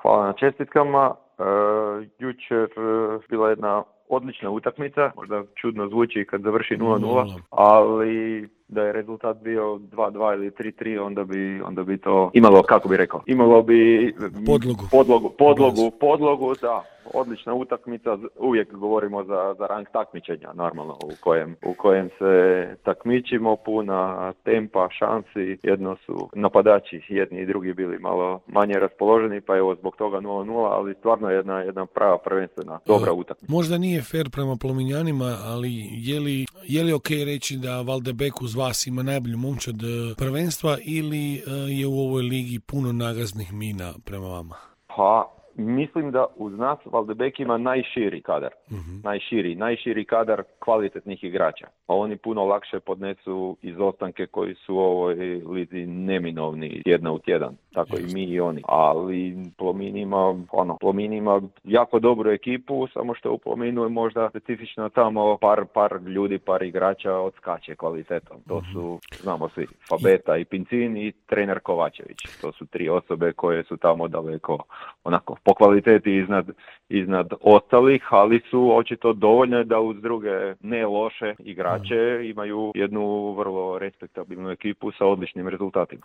Hvala na čestitkama. Jučer bila jedna odlična utakmica, možda čudno zvuči kad završi 0-0, ali da je rezultat bio 2-2 ili 3-3, onda bi to imalo, kako bi rekao, imalo bi podlogu, da. Odlična utakmica, uvijek govorimo za rang takmičenja, normalno, u kojem se takmičimo, puna tempa, šansi, jedno su napadači, jedni i drugi bili malo manje raspoloženi, pa evo zbog toga 0-0, ali stvarno jedna prava prvenstvena dobra utakmica. Možda nije fair prema Plominjanima, ali je li ok reći da Valdebek uz vas ima najbolju momčad prvenstva ili je u ovoj ligi puno nagaznih mina prema vama? Pa, mislim da uz nas Valdebek ima najširi kadar. Najširi kadar kvalitetnih igrača. Pa oni puno lakše podnesu izostanke koji su u ovoj lizi neminovni tjedna u tjedan. Tako i mi i oni. Ali Plomin ima jako dobru ekipu, samo što u Plominu je možda specifično tamo par ljudi, par igrača odskače kvalitetom. To su, znamo svi, Fabeta i Pincin i trener Kovačević. To su tri osobe koje su tamo daleko onako po kvaliteti iznad ostalih, ali su očito dovoljne da uz druge ne loše igrače imaju jednu vrlo respektabilnu ekipu sa odličnim rezultatima.